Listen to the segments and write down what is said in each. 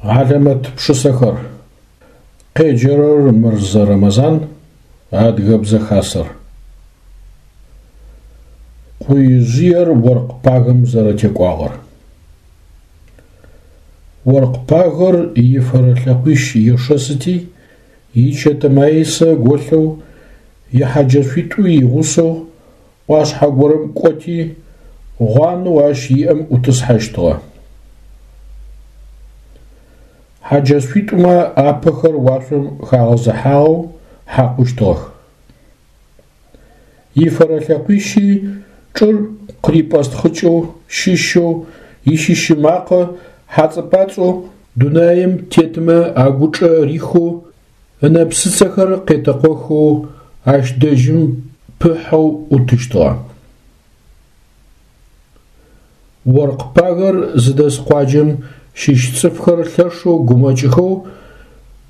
Хьалэмэт пшысэхэр. Къеджэрэр Мырзэ Рэмэзан, Адыгэбзэ Хасэр. Къуижъыер оркъ пагэм зэрэтекӏуагъэр. Оркъ пагэр ифэрэ лъэкъуищ ешэсыти, ичэтэ маисэ голъэу, ихьаджэшъуитӏуи игъусэу ӏуашъхьэ горэм кӏоти, гъуанэу ащ иӏэм ӏутӏысхьэщтыгъэ. Хьаджэшъуитӏумэ апэхэр уашъом хагъэзыхьагъэу хьакъущтыгъэх. Ифэрэ лъэкъуищи чӏыр къырипӏэстхъыкӏэу, щыщэу, ищыщы макъэ хьацӏэ-пӏацӏэу дунаим тетмэ агучӏэ рихэу, ынэпсыцэхэр къетэкъохэу ащ дэжьым пыхьэу ӏутыщтыгъэ. Оркъ пагэр зыдэс къуаджэм щыщ цӏыфхэр лъэшэу гумэкӏыхэу,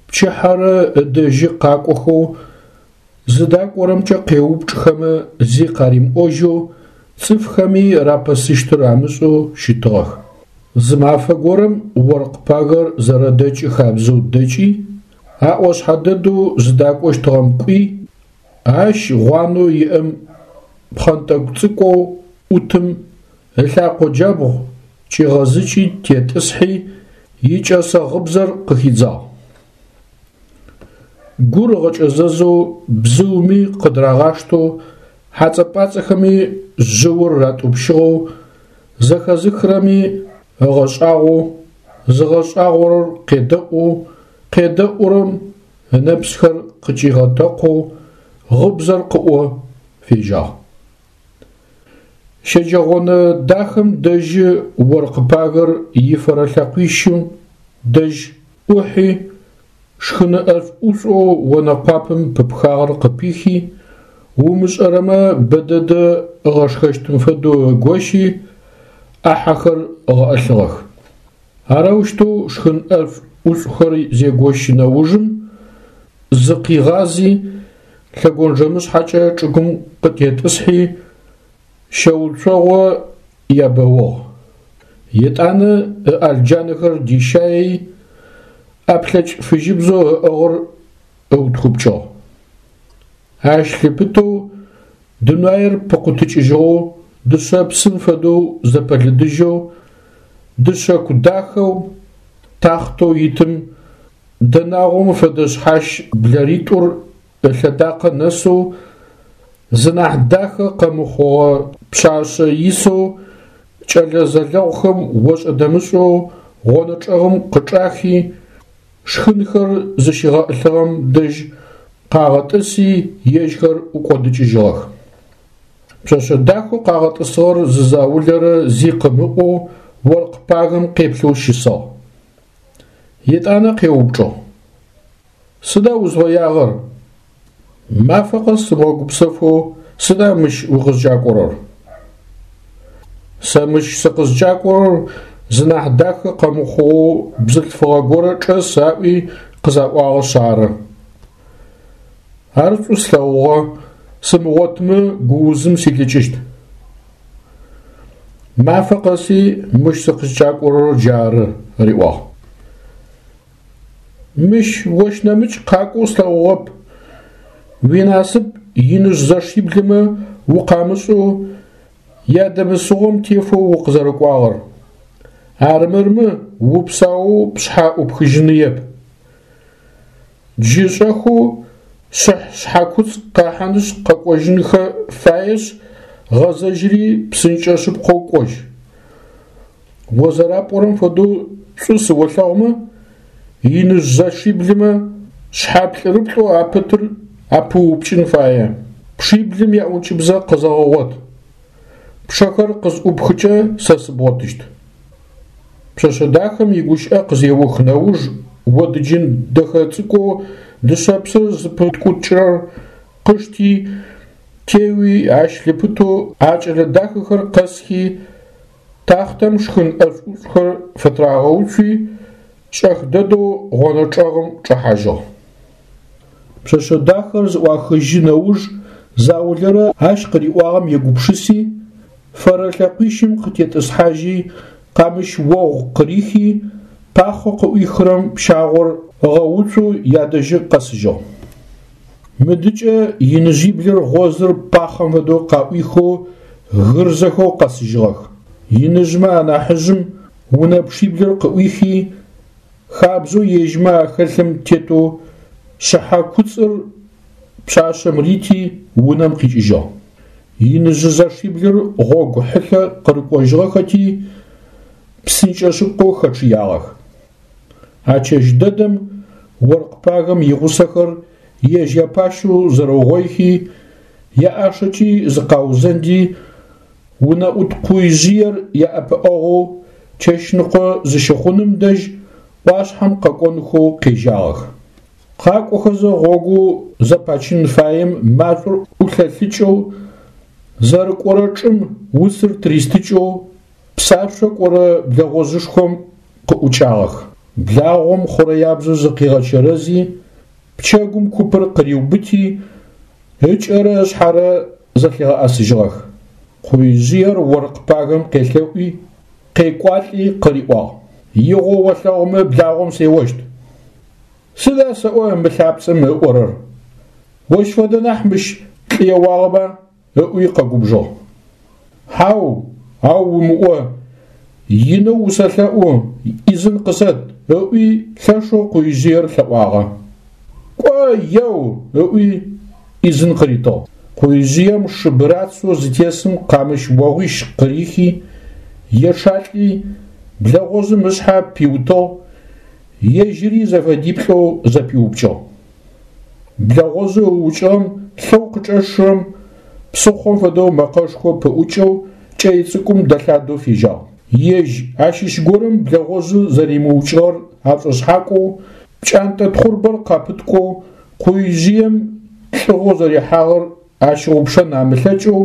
пчыхьэрэ ыдэжьы къакӏохэу, зыдакӏорэмкӏэ къеупчӏхэмэ зи къаримыӏожьэу, цӏыфхэми рапэсыщтыр амышӏэу щытыгъэх. Зы мафэ горэм оркъ пагэр зэрэдэкӏы хабзэу дэкӏи, а ӏошъхьэ дэдэу зыдакӏощтыгъэм кӏуи, ащ гъуанэу иӏэм пхъэнтӏэкӏу цӏыкӏоу ӏутым ылъакъо джабгъу кӏигъэзыкӏи тетӏысхьи, икӏэсэ гъыбзэр къыхидзагъ. Гур ыгъэкӏэзэзэу бзыуми къыдырагъаштэу, хьацӏэ-пӏацӏэхэми жъыур ратӏупщыгъэу, зэхэзыхырэми ыгъэшӏагъоу, зыгъэшӏагъорэр къедэӏоу, къедэӏурэм ынэпсхэр къыкӏигъэтэкъоу гъыбзэр къыӏо фежьагъ. Щэджэгъонэ дахэм дэжьы оркъ пагэр ифэрэ лъэкъуищым дэжь ӏухьи, шхыны ӏэшӏу-ӏушӏоу онэ къуапэм пыпхагъэр къыпихи, умышӏэрэмэ бэдэдэ ыгъэшхэщтым фэдэу ыгощи, ӏахьэхэр ыгъэӏылъыгъэх. Арэущтэу шхын ӏэшӏу-ӏушӏухэр зегощы нэужым, зыкъигъази, лъэгонджэмышъхьэкӏэ чӏыгум къытетӏысхьи, щэуцогъо ебэугъ. Етӏанэ ыӏэлджанэхэр дищаий, ӏэплъэкӏ фыжьыбзэу ыӏыгъыр ыутхыпкӏыгъ. Ащ лъыпытэу дунаир пыкъутыкӏыжьыгъэу, дышъэпсым фэдэу зэпэлыдыжьэу, дышъэку дахэу тахътэу итым дэнагъом фэдэ шъхьащ блэритӏур ылъэдакъэ нэсэу, зынахь дахэ къэмыхъугъэ пшъашъэ исэу кӏэлэ зэлэгъухэм ошӏэ-дэмышӏэу гъонэ чӏэгъым къычӏахи, шхынхэр зыщигъэӏылъыгъэм дэжь къагъэтӏыси, ежьхэр ӏукӏодыкӏыжьыгъэх. Пшъэшъэ дахэу къагъэтӏысыгъэр зы заулэрэ зи къымыӏоу оркъ пагэм къеплъэу щысыгъ. Етӏанэ къеупчӏыгъ. Сыда узфэягъэр? Мафэ къэс сыбгъэгупсэфэу сыда мыщ укъызкӏакӏорэр? Сэ мыщ сыкъызкӏакӏорэр зынахь дахэ къэмыхъугъэу бзылъфыгъэ горэ чӏэс аӏуи къызаӏуагъэшъ ары. Ар шӏу слъэгъугъэ, сымыгъотмэ гуузым силӏыкӏыщт. Мафэ къэси мыщ сыкъызкӏакӏорэр джары, риӏуагъ. Мыщ ощ нэмыкӏ къакӏоу слъэгъугъэп. Уинасып иныжъ зэшиблымэ укъамышӏэу ядэмысыгъом тефэу укъызэрэкӏуагъэр. Армырмэ упсаоу пшъхьэ ӏупхыжьыныеп. Джы шӏэхэу шъыхь шъхьэкуцӏ къахьынышъ къэкӏожьынхэ фаешъ, гъэзэжьыри псынкӏэ шъыпкъэу кӏожь. О зэрапӏорэм фэдэу шӏу сыолъэгъумэ, иныжъ зэшиблымэ шъхьэ плӏырыплӏэу апытыр апыуупкӏын фае. Пшиблым яӏункӏыбзэ къызэгъэгъот. Пчъэхэр къызӏупхыкӏэ сэ сыбгъотыщт. Пшъэшъэ дахэм игущыӏэ къызеух нэуж одыджын дэхэ цӏыкӏоу дышъэпсыр зыпыткӏукӏырэр къышти, теуи ащ лъыпытэу а кӏэлэ дахэхэр къэсхи, тахътэм шхын ӏэшӏу-ӏушӏухэр фытырагъэуцуи, шӏэх дэдэу гъонэ чӏэгъым чӏэхьажьыгъ. Пшъэшъэ дахэр зыӏуахыжьы нэуж заулэрэ ащ къыриӏуагъэм егупшыси, фэрэ лъэкъуищым къытетӏысхьажьи, къамыщ огъу къырихи, пахъэу къыӏуихырэм пщагъор ыгъэуцоу ядэжьы къэсыжьыгъ. Мыдыкӏэ иныжъиблыр гъозыр пахъэм фэдэу къаӏуихэу гырзэхэу къэсыжьыгъэх. Иныжъмэ анахьыжъым унэ пчъиблыр къыӏуихи, хабзэу ежьмэ ахэлъым тетэу шъыхьэ куцӏыр пшъашъэм рити, унэм къикӏыжьыгъ. Иныжъы зэшиблыр гъогу хьылъэ къырыкӏожьыгъэхэти, псынкӏэ шъыпкъэу хэчъыягъэх. А чэщ дэдэм оркъ пагэм игъусэхэр ежь япащэу зэрэугъоихи, яӏашэкӏи зыкъаузэнди, унэӏут къуижъыер яӏэпыӏэгъоу чэщныкъо зыщыхъуным дэжь ӏуашъхьэм къэкӏонхэу къежьагъэх. Къакӏохэзэ гъогоу зэпачын фаем машӏор ӏулъэлъыкӏэу, зэрыкӏорэ чӏым уцыр тыристыкӏэу псашъо кӏорэ блэгъожъышхом къыӏукӏагъэх. Благъом хъурэябзэу зыкъигъэчэрэзи, пчэгум купыр къыриубыти, ыкӏэрэ ышъхьэрэ зэлъигъэӏэсыжьыгъэх. Къуижъыер оркъ пагэм къелъэӏуи, къекӏуалӏи къыриӏуагъ: Игъо олъэгъумэ благъом сеощт. Сыда сэӏо мы лъапцӏэм ыӏорэр? Ощ фэдэ нахь мыщ лӏы еуагъэба? ыӏуи къэгубжыгъ. Хьау, ау умыӏо, инэу усэлъэӏу, ӏизын къысэт, ыӏуи лъэшэу къуижъыер лъэӏуагъэ. Кӏо, еу, ыӏуи ӏизын къыритыгъ. Къуижъыем шы бырацэу зытесым къамыщ огъуищ къырихи, ечъалӏи, блэгъожъым ышъхьэ пиутыгъ, ежьыри зэфэдиплӏэу зэпиупкӏыгъ. Блэгъожъэу ыукӏыгъэм лъэу къычӏэщырэм псыхъом фэдэу мэкъэшхо пыӏукӏэу кӏэй цӏыкӏум дэлъадэу фежьагъ. Ежь ащыщ горэм блэгъожъыр зэримыукӏыгъэр ашӏошъхьакӏоу, пкӏантӏэ тхъурбэр къапыткӏоу, къуижъыем лӏыгъэу зэрихьагъэр ащыгъупшэн амылъэкӏэу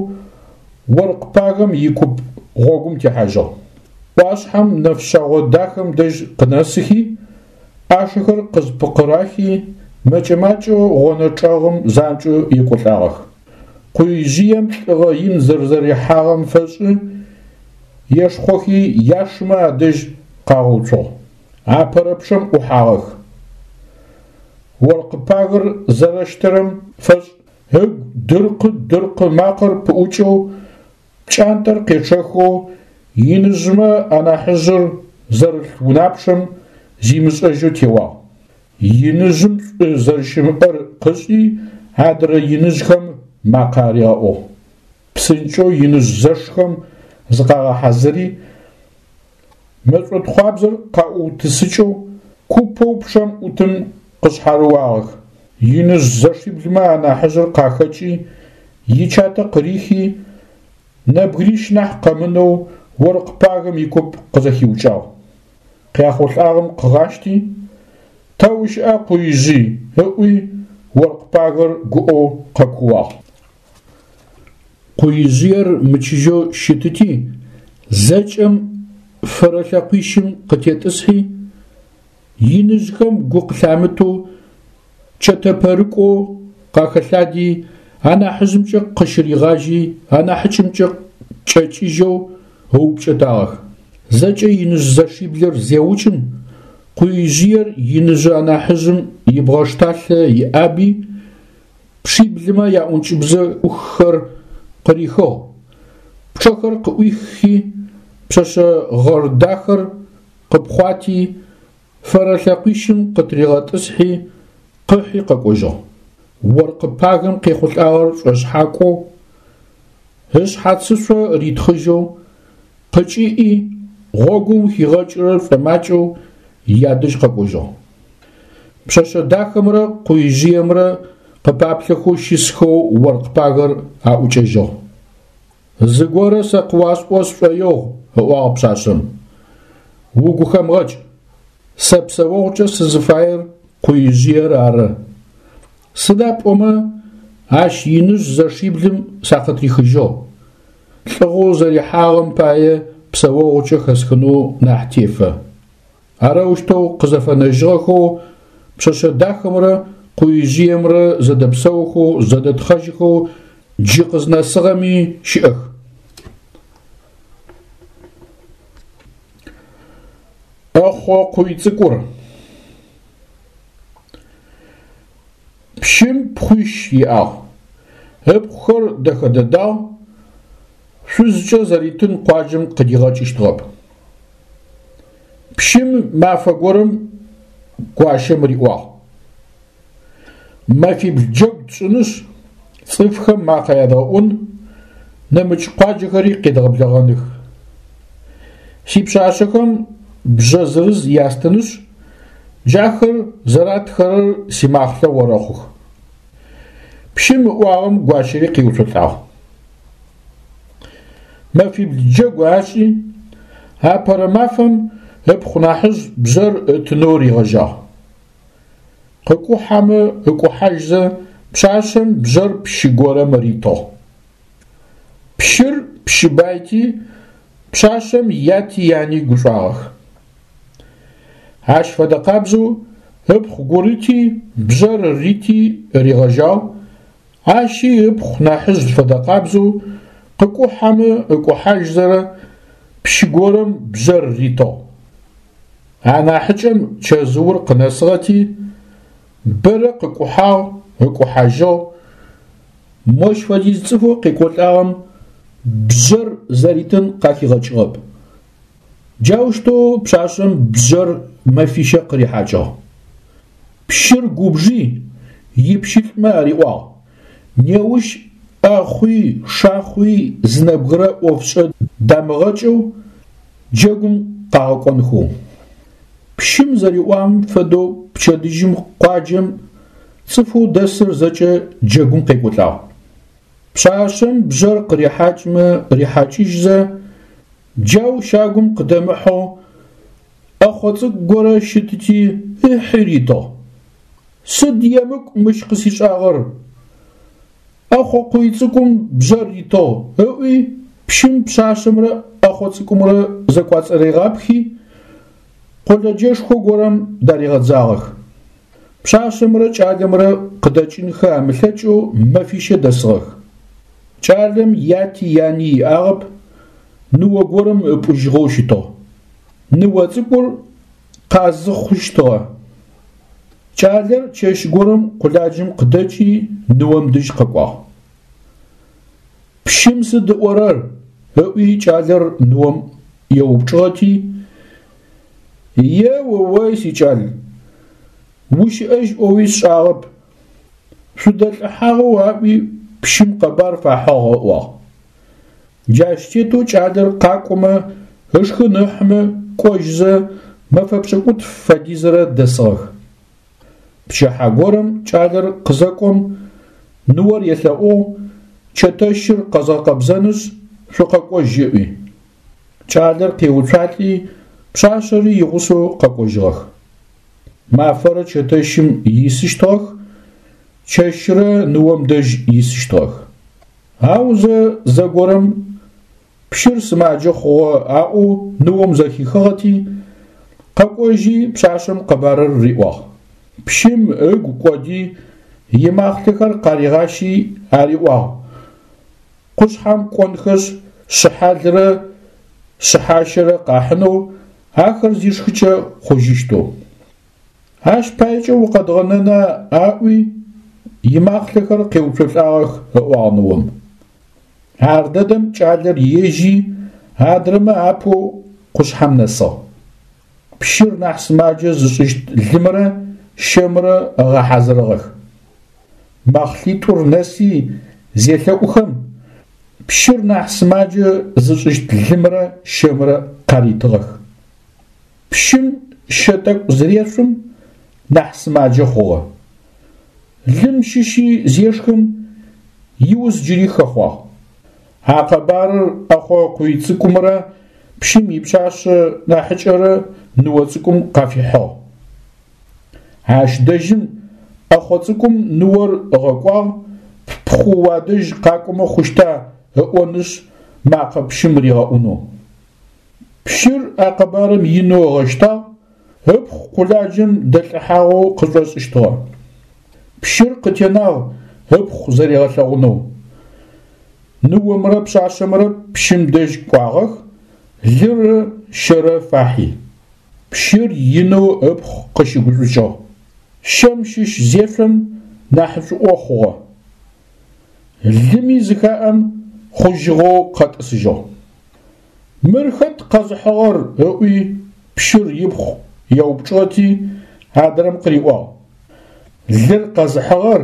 оркъ пагэм икуп гъогум техьажьыгъ. ӏуашъхьэм нэфшъэгъо дахэм дэжь къынэсыхи, ӏашэхэр къызпкъырахи, мэкӏэ-макӏэу гъонэ чӏэгъым занкӏэу екӏолӏагъэх. Къуижъыем лӏыгъэ ин зэрэзэрихьагъэм фэшӏы ешхъохи яшымэ адэжь къагъэуцугъ. Апэрэ пчъэм ӏухьагъэх. Оркъ пагэр зэрэщтэрэм фэшӏ ыгу дыркъы-дыркъы макъэр пыӏукӏэу, пкӏантӏэр къечъэхэу иныжъмэ анахьыжъыр зэрылъ унапчъэм зимышӏэжьэу теуагъ. Иныжъым шӏу зэрэщымыӏэр къышӏи, адрэ иныжъхэм макъэ аригъэӏугъ. Псынкӏэу иныжъ зэшхэм зыкъагъэхьазыри, мэшӏотхъуабзэр къаӏуутысыкӏэу купэу пчъэм ӏутым къышъхьарыуагъэх. Иныжъ зэшиблымэ анахьыжъыр къахэкӏи, ичатэ къырихи, нэбгырищ нахь къэмынэу оркъ пагэм икуп къызэхиукӏагъ. Къяхъулӏагъэм къыгъащти, Тэ ущыӏа, Къуижъый? ыӏуи, оркъ пагэр гуӏэу къэкууагъ. Къуижъыер мычыжьэу щытыти, зэкӏэм фэрэ лъэкъуищым къытетӏысхьи, иныжъхэм гу къылъамытэу чэтэпэрыкӏоу къахэлъади, анахьыжъымкӏэ къыщыригъажьи, анахьыкӏэмкӏэ кӏэкӏыжьэу ыупкӏэтагъэх. Зэкӏэ иныжъ зэшиблыр зеукӏым, Къуижъыер иныжъы анахьыжъым ибгъэшталъэ иӏаби, пчъиблымэ яӏункӏыбзэ ӏуххэр къырихыгъ, пчъэхэр къыӏуиххи, пшъэшъэ гъэр дахэр къыпхъуати, фэрэ лъэкъуищым къытыригъэтӏысхьи, къыхьи къэкӏожьыгъ. Оркъы пагэм къехъулӏагъэр шӏошъхьакӏоу, ышъхьацышъо ритхъыжьэу, къыкӏиӏи, гъогум хигъэкӏырэр шӏомакӏэу ядэжь къэкӏожьыгъ. Пшъэшъэ дахэмрэ къуижъыемрэ къыпаплъэхэу щысхэу оркъ пагэр аӏукӏэжьыгъ. Зыгорэ сэ къыуасӏо сшӏоигъу, ыӏуагъ пшъашъэм. Угу хэмыгъэкӏ. Сэ псэогъукӏэ сызыфаер къуижъыер ары. Сыда пӏомэ ащ иныжъ зэшиблым сакъытрихыжьыгъ. Лӏыгъэу зэрихьагъэм пае псэогъукӏэ хэсхынэу нахь тефэ. Арэущтэу къызэфэнэжьыгъэхэу пшъэшъэ дахэмрэ къуижъыемрэ зэдэпсэухэу, зэдэтхъэжьыхэу джы къызнэсыгъэми щыӏэх. ӏэхъо къуй цӏыкӏур. Пщым пхъуищ иӏагъ. Ыпхъухэр дэхэ дэдагъ, шъузкӏэ зэритын къуаджэм къыдигъэкӏыщтыгъэп. Пщым мафэ горэм гуащэм риӏуагъ: Мэфибл джэгу тшӏынышъ, цӏыфхэм макъэ ядгъэӏун, нэмыкӏ къуаджэхэри къедгъэблэгъэных. Сипшъашъэхэм бжъэ зырыз ястынышъ, джахэр зэратхэрэр симахълъэ орэхъух. Пщым ыӏуагъэм гуащэри къеуцолӏагъ. Мэфибл джэгу ашӏи, апэрэ мафэм ыпхъу нахьыжъ бжъэр ытынэу ригъэжьагъ. Къыкӏухьэмэ ыкӏухьажьзэ пшъашъэм бжъэр пщы горэм ритыгъ. Пщыр пщы байти, пшъашъэм яти яни гушӏуагъэх. Ащ фэдэ къабзэу ыпхъу гурыти бжъэр рити ригъэжьагъ, ащи ыпхъу нахьыжъ фэдэ къабзэу къыкӏухьэмэ ыкӏухьажьзэрэ пщы горэм бжъэр ритыгъ. Анахьыкӏэм чэзыур къынэсыгъэти, бэрэ къыкӏухьагъ, ыкӏухьажьыгъ. Мощ фэдиз цӏыфэу къекӏолӏагъэм бжъэр зэритын къахигъэкӏыгъэп. Джаущтэу пшъашъэм бжъэр мэфищэ къырихьакӏыгъ. Пщыр губжи, ипщылӏмэ ариӏуагъ: Неущ ӏэхъуи шахъуи зы нэбгырэ ӏофшӏэ дамыгъэкӏэу джэгум къагъэкӏонхэу. Пщым зэриӏуагъэм фэдэу пчэдыжьым къуаджэм цӏыфэу дэсыр зэкӏэ джэгум къекӏолӏагъ. Пшъашъэм бжъэр къырихьакӏмэ рихьакӏыжьзэ, джау щагум къыдэмыхьэу ӏэхъо цӏыкӏу горэ щытыти ыхьи ритыгъ. Сыд емыкӏу мыщ къысишӏагъэр? ӏэхъо къуй цӏыкӏум бжъэр ритыгъ, ыӏуи пщым пшъашъэмрэ ӏэхъо цӏыкӏумрэ зэкӏуацӏэригъапхи, къолэджэшхо горэм даригъэдзагъэх. Пшъашъэмрэ кӏалэмрэ къыдэкӏынхэ амылъэкӏэу мэфищэ дэсыгъэх. Кӏалэм яти яни иӏагъэп, ныо горэм ыпӏужьыгъэу щытыгъ. Ныо цӏыкӏур къазыхъущтыгъэ. Кӏалэр чэщ горэм къуладжэм къыдэкӏи ныом дэжь къэкӏуагъ. Пщым сыд ыӏорэр? ыӏуи кӏалэр ныом еупчӏыгъэти, Е-о-ой, сикӏал, ущыӏэжь ӏоуи сшӏагъэп, шъудэлӏыхьагъэу аӏуи пщым къэбар фахьыгъ ыӏуагъ. Джащ тетэу кӏалэр къакӏомэ, ышхын ыхьымэ кӏожьзэ мэфэ пшӏыкӏутф фэдизрэ дэсыгъэх. Пчыхьэ горэм кӏалэр къызэкӏом, ныор елъэӏугъ, чэтэщыр къэзгъэкъэбзэнышъ, шъукъэкӏожь ыӏуи. Кӏалэр къеуцуалӏи, пшъашъэри игъусэу къэкӏожьыгъэх. Мафэрэ чэтэщым исыщтыгъэх, чэщрэ ныом дэжь исыщтыгъэх. Аузэ зэгорэм пщыр сымаджэ хъугъэ аӏоу ныом зэхихыгъэти, къэкӏожьи пшъашъэм къэбарыр риӏуагъ. Пщым ыгу кӏоди, имахълъэхэр къаригъащи ариӏуагъ: Къушъхьэм кӏонхэшъ шъыхьалрэ шъыхьащэрэ къахьынэу ахэр зишхыкӏэ хъужьыщтэу. Ащ паекӏэ укъэдгъэнэна аӏуи, имахълъэхэр къеуцолӏагъэх, ыӏуагъ ныом. Ар дэдэм кӏалэр ежьи, адрэмэ апэу къушъхьэм нэсыгъ. Пщыр нахь сымаджэ зышӏыщт лымрэ щэмрэ ыгъэхьазырыгъэх. Мэхълъитӏур нэси зелъэӏухэм, пщыр нахь сымаджэ зышӏыщт лымрэ щэмрэ къаритыгъэх. Пщым щэ тӏэкӏу зырешъум, нахь сымаджэ хъугъэ. Лым щыщи зешхым, иуз джыри хэхъуагъ. А къэбарыр ӏэхъо къуй цӏыкӏумрэ пщым ипшъашъэ нахьыкӏэрэ ныо цӏыкӏум къафихьыгъ. Ащ дэжьым ӏэхъо цӏыкӏум ныор ыгъэкӏуагъ, ппхъу уадэжь къакӏомэ хъущта ыӏонышъ макъэ пщым ригъэӏунэу. Пщыр а къэбарым инэу ыгъэщтагъ, ыпхъу къуладжэм дэлӏыхьагъэу къышӏошӏыщтыгъэ. Пщыр къытенагъ ыпхъу зэригъэлъэгъунэу. Ныомрэ пшъашъэмрэ пщым дэжь кӏуагъэх, лырэ щэрэ фахьи. Пщыр инэу ыпхъу къыщыгушӏукӏыгъ. Щэм щыщ зешъом нахьышӏуӏо хъугъэ. Лыми зыхаӏэм хъужьыгъэу къэтӏысыжьыгъ. Мыр хэт къэзыхьыгъэр? ыӏуи пщыр ипхъу еупчӏыгъэти, адрэм къыриӏуагъ. Лыр къэзыхьыгъэр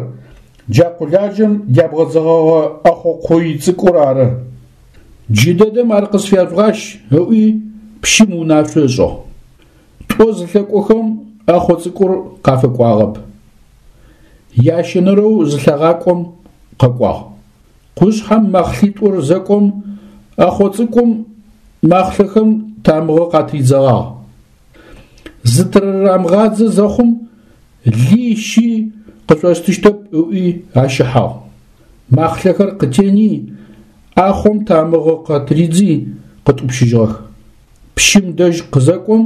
джа къуладжэм дябгъэдзыгъэгъэ ӏэхъо къуй цӏыкӏур ары. Джыдэдэм ар къысфяжъугъащ, ыӏуи пщым унашъо ышӏыгъ. Тӏо зылъэкӏохэм ӏэхъо цӏыкӏур къафэкӏуагъэп. Ящэнэрэу зылъагъакӏом къэкӏуагъ. Къушъхьэм мэхълъитӏур зэкӏом ӏэхъо цӏыкӏум махълъэхэм тамыгъэ къатридзэгъагъ. Зытырарамыгъадзэ зэхъум ли щи къышъостыщтэп ыӏуи ащыхьагъ. Махълъэхэр къытени, ӏахъом тамыгъэ къатыридзи къытӏупщыжьыгъэх. Пщым дэжь къызэкӏом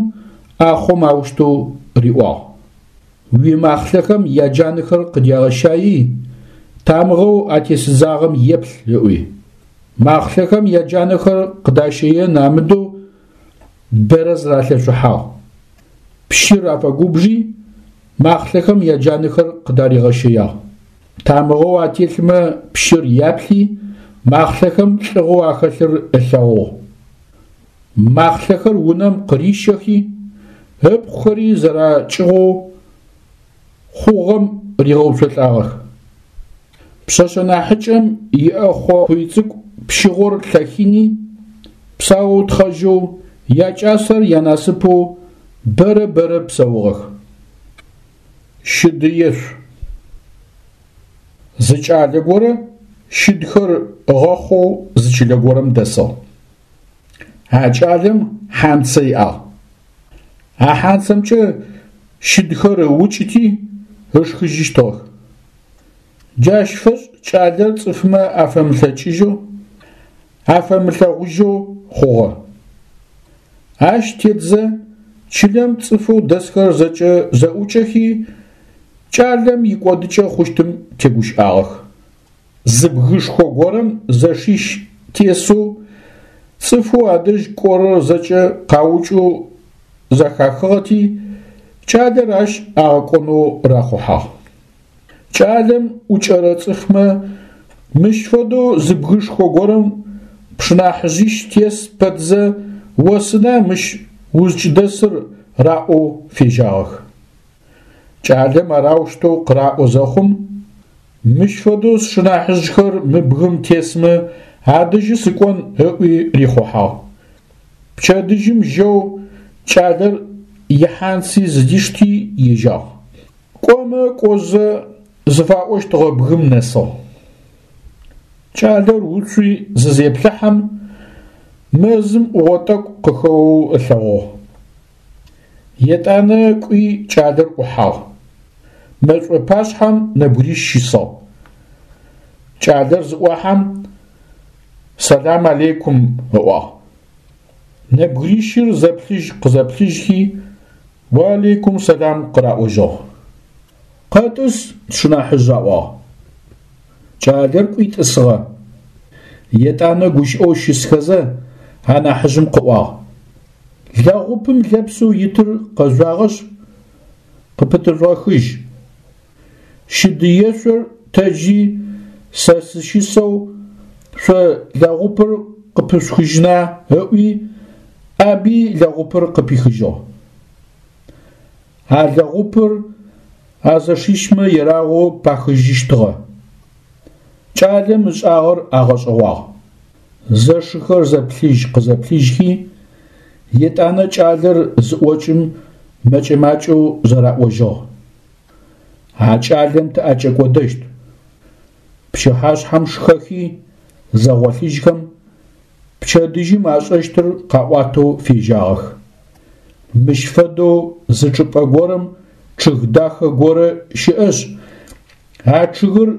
ӏахъом аущтэу риӏуагъ. Уимахълъэхэм яджанэхэр къыдягъэщаий, тамыгъэу атесыдзагъэм еплъ, ыӏуи. Махълъэхэм яджанэхэр къыдащэен амыдэу бэрэ зыралъэшъухьагъ. Пщыр афэгубжи, махълъэхэм яджанэхэр къыдаригъэщэягъ. Тамыгъэу ателъмэ пщыр яплъи, махълъэхэм лӏыгъэу ахэлъыр ылъэгъугъ. Махълъэхэр унэм къырищэхи, ыпхъухэри зэракӏыгъоу хъугъэм ригъэуцолӏагъэх. Пшъэшъэ нахьыкӏэм иӏэхъо къуй цӏыкӏу пщыгъор лъэхини, псаоу тхъэжьэу, якӏасэр янасыпэу бэрэ-бэрэ псэугъэх. Щыдыешъу. Зы кӏалэ горэ щыдхэр ыгъэхъоу зы чылэ горэм дэсыгъ. А кӏалэм хьанцэ иӏагъ. А хьанцэмкӏэ щыдхэр ыукӏыти ышхыжьыщтыгъэх. Джащ фэшӏ кӏалэр цӏыфмэ афэмылъэкӏыжьэу, афэмылъэгъужьэу хъугъэ. Ащ тетзэ чылэм цӏыфэу дэсхэр зэкӏэ зэӏукӏэхи, кӏалэм икӏодыкӏэ хъущтым тегущыӏагъэх. Зы бгышхо горэм зэшищ тесэу цӏыфэу адэжь кӏорэр зэкӏэ къаукӏэу зэхахыгъэти, кӏалэр ащ агъэкӏонэу рахъухьагъ. Кӏалэм ӏукӏэрэ цӏыфмэ мыщ фэдэу зы бгышхо горэм пшынахьыжъищ тес пэтзэ о сыда мыщ узкӏыдэсыр раӏоу фежьагъэх. Кӏалэм араущтэу къыраӏо зэхъум, мыщ фэдэу сшынахьыжъхэр мы бгым тесмэ адэжьы сыкӏон ыӏуи рихъухьагъ. Пчэдыжьым жьэу кӏалэр ихьанци зыдишти ежьагъ. Кӏомэ кӏозэ зыфаӏощтыгъэ бгым нэсыгъ. Кӏалэр уцуи зызеплъыхьэм, мэзым ӏугъо тӏэкӏу къыхэоу ылъэгъугъ. Етӏанэ кӏуи кӏалэр ӏухьагъ. Мэшӏо пашъхьэм нэбгырищ щысыгъ. Кӏалэр зыӏохьэм, Сэлам алейкум ыӏуагъ. Нэбгырищыр зэплъыжь-къызэплъыжьхи, Уалейкум сэлам къыраӏожьыгъ. Къэтӏыс, тшынахьыжъ аӏуагъ. Кӏалэр кӏуи тӏысыгъэ. Етӏанэ гущыӏэу щысхэзэ, анахьыжъым къыӏуагъ. Лэгъупым лэпсэу итыр къэжъуагъэшъ, къыпытыжъугъэхыжь. Щыдыешъор тэджи сэ сыщысэу шъо лэгъупыр къыпышъухыжьына ыӏуи, ӏаби лэгъупыр къыпихыжьыгъ. А лэгъупыр а зэшищмэ ерагъэу пахыжьыщтыгъэ. Кӏалэм ышӏагъэр агъэшӏэгъуагъ. Зэшыхэр зэплъыжь-къызэплъыжьхи, етӏанэ кӏалэр зыӏокӏым мэкӏэ-макӏэу зэраӏожьыгъ. А кӏалэм тыӏэкӏэкӏодэщт. Пчыхьашъхьэм шхэхи, зэгъолъыжьхэм, пчэдыжьым ашӏэщтыр къаӏуатэу фежьагъэх. Мыщ фэдэу зы чӏыпӏэ горэм чъыг дахэ горэ щыӏэшъ, а чъыгыр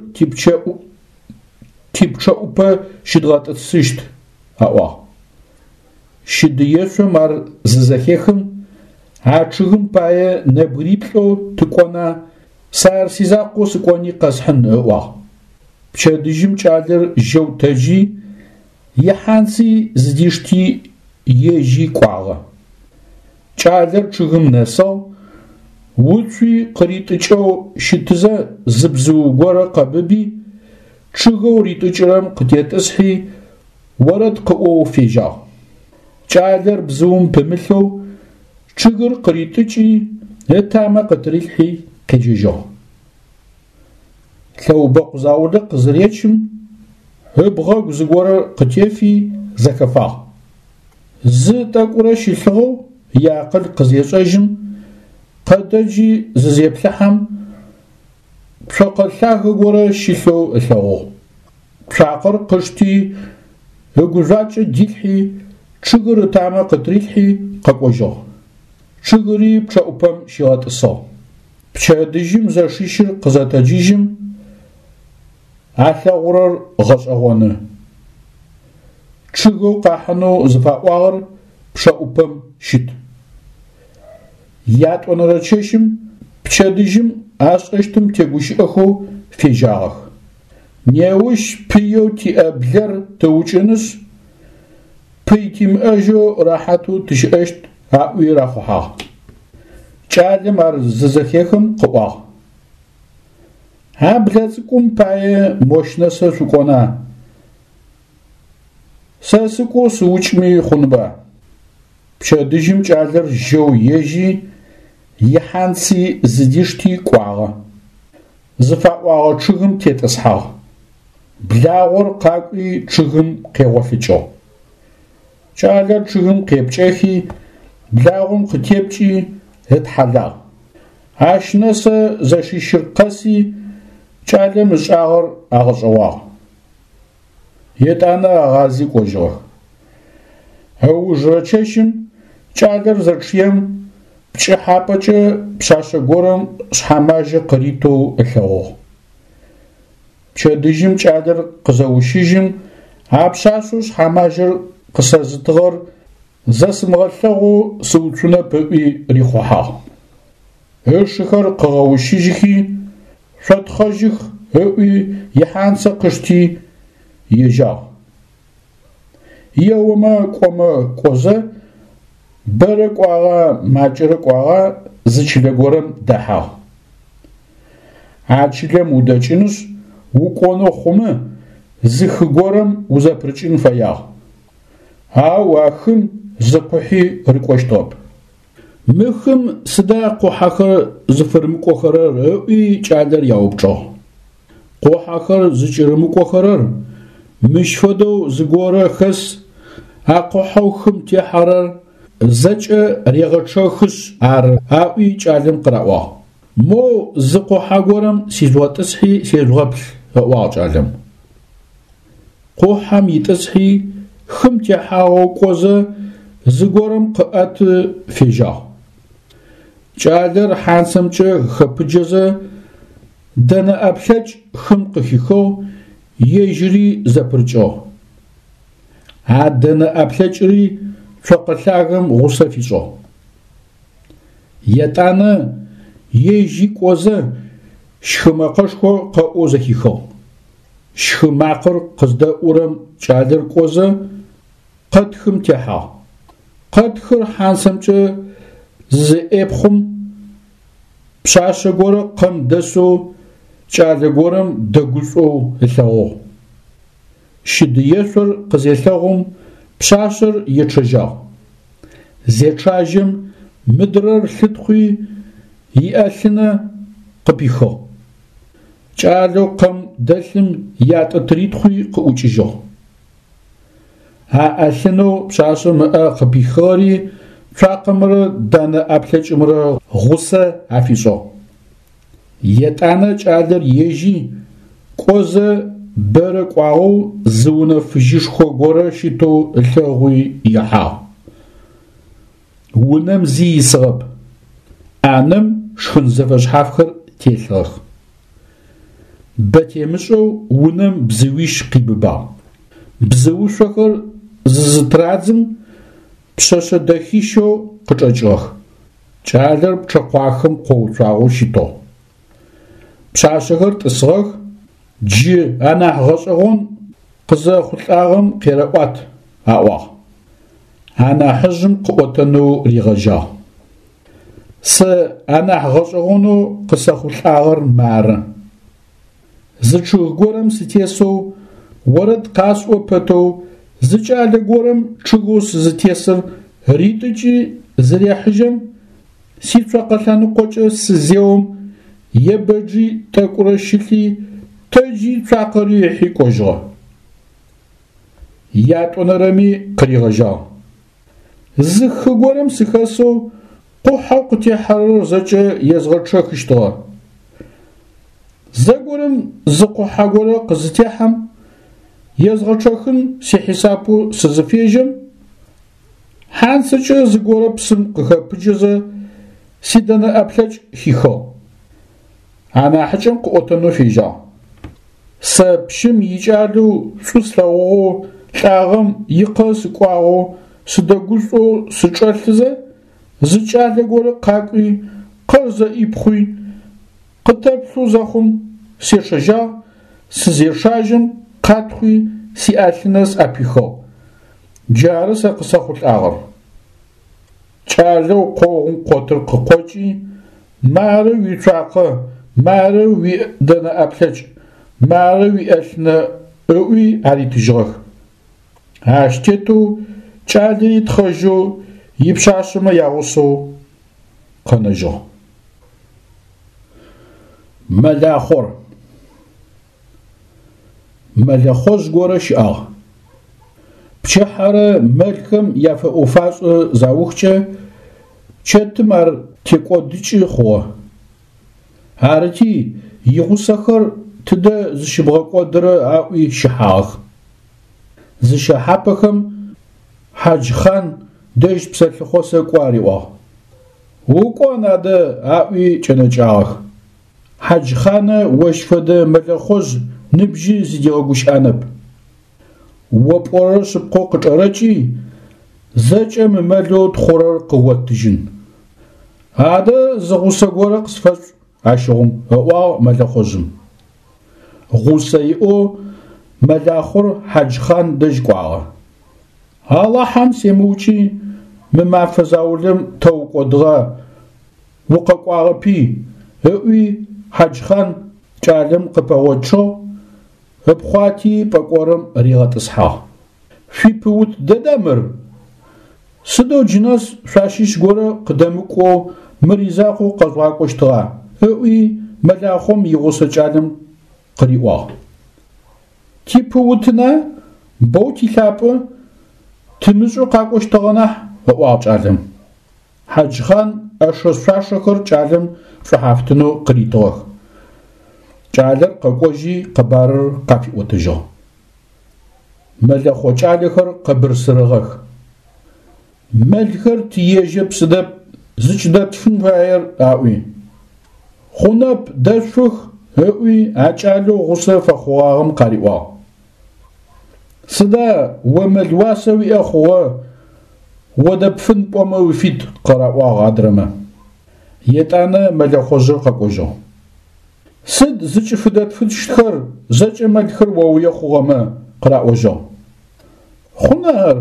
типчъэӏупэ щыдгъэтӏысыщт, аӏуагъ. Щыдыешъом ар зызэхехым, а чъыгым пае нэбгыриплӏэу тыкӏона, сэ ар сизакъоу сыкӏони къэсхьын, ыӏуагъ. Пчэдыжьым кӏалэр жьэу тэджи, ихьанци зыдишти ежьи кӏуагъэ. Кӏалэр чъыгым нэсыгъ, уцуи къыритӏыкӏэу щытызэ зы бзыу горэ къэбыби, чъыгэу ритӏыкӏырэм къытетӏысхьи, орэд къыӏоу фежьагъ. Кӏалэр бзыум пымылъэу чъыгыр къыритӏыкӏи, ытамэ къытырилъхьи къежьэжьыгъ. Лъэубэкъу заулэ къызыречым, ыбгъэгу зыгорэ къытефи зэхэфагъ. Зы тӏэкӏурэ щылъыгъэу иакъыл къызешӏэжьым, къэтэджи зызеплъыхьэм, цокъэ лъагэ горэ щылъэу ылъэгъугъ. Цуакъэр къышти, ыгужъуакӏэ дилъхьи, чъыгыр ытамэ къытырилъхьи къэкӏожьыгъ. Чъыгыри пчъэӏупэм щигъэтӏысыгъ. Пчэдыжьым зэшищыр къызэтэджыжьым, алъэгъурэр гъэшӏэгъоны. Чъыгэу къахьынэу зыфаӏуагъэр пчъэӏупэм щыт. Ятӏонэрэ чэщым пчэдыжьым ашӏэщтым тегущыӏэхэу фежьагъэх. Неущ пыеу тиӏэ блэр тыукӏынышъ, пый тимыӏэжьэу рэхьатэу тыщыӏэщт аӏуи рахъухьагъ. Кӏалэм ар зызэхехым къыӏуагъ: А блэ цӏыкӏум пае мощ нэсэ шъукӏона? Сэ сыкӏоу сыукӏми хъунба? Пчэдыжьым кӏалэр жьэу ежьи, ихьанци зыдишти кӏуагъэ. Зыфаӏуагъэ чъыгым тетӏысхьагъ. Благъор къакӏуи чъыгым къегъолъыкӏыгъ. Кӏалэр чъыгым къепкӏэхи, благъом къытепкӏи ытхьалагъ. Ащ нэсэ зэшищыр къэси, кӏалэм ышӏагъэр агъэшӏэгъуагъ. Етӏанэ агъази кӏожьыгъэх. Ыужырэ чэщым кӏалэр зэчъыем пкӏыхьапӏэкӏэ пшъашъэ горэм шъхьэмажьэ къыритэу ылъэгъугъ. Пчэдыжьым кӏалэр къызэущыжьым, а пшъашъэу шъхьэмажьэр къысэзытыгъэр зэсымыгъэлъэгъоу сыуцунэп ыӏуи рихъухьагъ. Ышыхэр къыгъэущыжьыхи, шъотхъэжьых ыӏуи ихьанцэ къышти ежьагъ. Еомэ кӏомэ кӏозэ, бэрэ кӏуагъа макӏэрэ кӏуагъа зы чылэ горэм дэхьагъ. А чылэм удэкӏынышъ, укӏонэу хъумэ, зы хы горэм узэпырыкӏын фэягъ. Ау а хым зы къухьи рыкӏощтыгъэп. Мы хым сыда къухьэхэр зыфырымыкӏохэрэр ыӏуи кӏалэр яупчӏыгъ. Къухьэхэр зыкӏырымыкӏохэрэр мыщ фэдэу зыгорэ хэс, а къухьэу хым техьэрэр зэкӏэ регъэчъэхышъ ары, аӏуи кӏалэм къыраӏуагъ. Моу зы къухьэ горэм сижъугъэтӏысхьи сежъугъэплъ, ыӏуагъ кӏалэм. Къухьэм итӏысхьи, хым техьагъэу кӏозэ, зыгорэм къыӏэты фежьагъ. Кӏалэр хьанцэмкӏэ хэпыджэзэ, дэнэ ӏэплъэкӏ хым къыхихыгъ, ежьыри зэпырыкӏыгъ. А дэнэ ӏэплъэкӏыри цокъэ лъагэм гъусэ фишӏыгъ. Етӏанэ ежьи кӏозэ, щхы мэкъэшхо къэӏоу зэхихыгъ. Щхы макъэр къыздэӏурэм кӏалэр кӏозэ, къэтхым техьагъ. Къэтхыр хьанцэмкӏэ зызэӏепхъум, пшъашъэ горэ къэм дэсэу кӏалэ горэм дэгушӏоу ылъэгъугъ. Щыдыешъор къызелъэгъум, пшъашъэр ечъэжьагъ. Зечъажьэм, мыдрэр лъытхъуи, иӏэлъынэ къыпихыгъ. Кӏалэу къэм дэлъым ятӏэ тыритхъуи къыӏукӏыжьыгъ. А ӏэлъынэу пшъашъэм ыӏэ къыпихыгъэри цуакъэмрэ дэнэ ӏэплъэкӏымрэ гъусэ афишӏыгъ. Етӏанэ кӏалэр ежьи, кӏозэ бэрэ кӏуагъэу зы унэ фыжьышхо горэ щытэу ылъэгъуи ихьагъ. Унэм зи исыгъэп. ӏанэм шхын зэфэшъхьафхэр телъыгъэх. Бэ темышӏэу унэм бзыуищ къибыбагъ. Бзыушъохэр зызытырадзым, пшъэшъэ дэхищэу къычӏэкӏыгъэх. Кӏалэр пчъэкъуахэм къоуцуагъэу щытыгъ. Пшъашъэхэр тӏысыгъэх, джы анахь гъэшӏэгъон Сэ анахь гъэшӏэгъонэу къысэхъулӏагъэр мары. Зы чъыг горэм сытесэу, орэд къасӏо пэтэу, зы кӏалэ горэм чъыгэу сызытесыр ритӏыкӏи зырехьыжьэм, сицокъэ лъэныкъокӏэ сызеом, ебэджи тӏэкӏурэ щылъи, тэджи цуакъэри ыхьи кӏожьыгъэ. Ятӏонэрэми къыригъэжьагъ. Зы хы горэм сыхэсэу къухьэу къытехьэрэр зэкӏэ езгъэчъэхыщтыгъэ. Зэгорэм зы къухьэ горэ къызытехьэм, езгъэчъэхын сихьисапэу сызыфежьэм, хьанцэкӏэ зыгорэ псым къыхэпыджэзэ сидэнэ ӏэплъэкӏ хихыгъ. Анахьыкӏэм къыӏотэнэу фежьагъ. Сэ пщым икӏалэу шӏу слъэгъугъэу лӏагъэм икъэ сыкӏуагъэу сыдэгушӏоу сычӏэлъызэ, зы кӏалэ горэ къакӏуи, къэр зэӏипхъуи, къытэплъэу зэхъум, сечъэжьагъ, сызечъажьэм къатхъуи сиӏэлъынэ сӏэпихыгъ. Джары сэ къысэхъулӏагъэр. Кӏалэу къогъум къотыр къыкъокӏи, мары уицуакъэ, мары уидэнэ ӏэплъэкӏ, мары уиӏэлъынэ ыӏуи аритыжьыгъэх. Ащ тетэу кӏалэри тхъэжьэу ипшъашъэмэ ягъусэу къэнэжьыгъ. Мэлахъор. Мэлэхъожъ горэ щыӏагъ. Пчыхьэрэ мэлхэм яфэӏо-фашӏэ заухкӏэ, чэтым ар текӏодыкӏы хъугъэ. Арыти, игъусэхэр тыдэ зыщыбгъэкӏодырэ аӏуи щыхьагъэх. Зыщэхьапэхэм Хьаджхъан дэжь псэлъыхъо сэкӏо ариӏуагъ. Укӏон адэ аӏуи кӏэнэкӏагъэх. Хьаджхъанэ ощ фэдэ мэлэхъожъ ныбжьи зыдигъэгущыӏэнэп. О пӏорэр шъыпкъэу къычӏэрэкӏи, зэкӏэ мы мэлэу тхъурэр къыоттыжьын. Адэ зы гъусэ горэ къысфэшӏ ащыгъум, ыӏуагъ мэлэхъожъым. Гъусэ иӏэу мэлахъор Хьаджхъан дэжь кӏуагъэ. Алахьэм семыукӏи, мы мэфэ заулэм тэ укӏодыгъа, укъэкӏуагъэпи, ыӏуи Хьаджхъан кӏалэм къыпэгъочъыгъ, ыпхъуати пӏэкӏорым ригъэтӏысхьагъ. Шъуипыут дэда мыр? Сыдэу джынэс шъуащыщ горэ къыдэмыкӏоу мыр изакъоу къэжъугъакӏощтыгъа? ыӏуи мэлахъом игъусэ кӏалэм къыриӏуагъ. Типыутына, боу тилъапӏэ, тымышӏэу къакӏощтыгъэ нахь, ыӏуагъ кӏалэм. Хьаджхъан ӏэшэ-шъуашэхэр кӏалэм шӏухьафтынэу къыритыгъэх. Кӏалэр къэкӏожьи къэбарыр къафиӏотэжьыгъ. Мэлэхъо кӏалэхэр къэбырсырыгъэх. Мэлхэр тиежьэп сыдэп зыкӏыдэтфын фаер аӏуи. Хъунэп, дэшъух, ыӏуи а кӏалэу гъусэ фэхъугъагъэм къариӏуагъ. Сыда о мэл уасэ уиӏэ хъугъэ, о дэпфын пӏомэ уфит, къыраӏуагъ адрэмэ. Етӏанэ мэлэхъожъыр къэкӏожьыгъ. Сыд зыкӏыфыдэтфыщтхэр зэкӏэ мэлхэр оуе хъугъэмэ, къыраӏожьыгъ. Хъуна ар,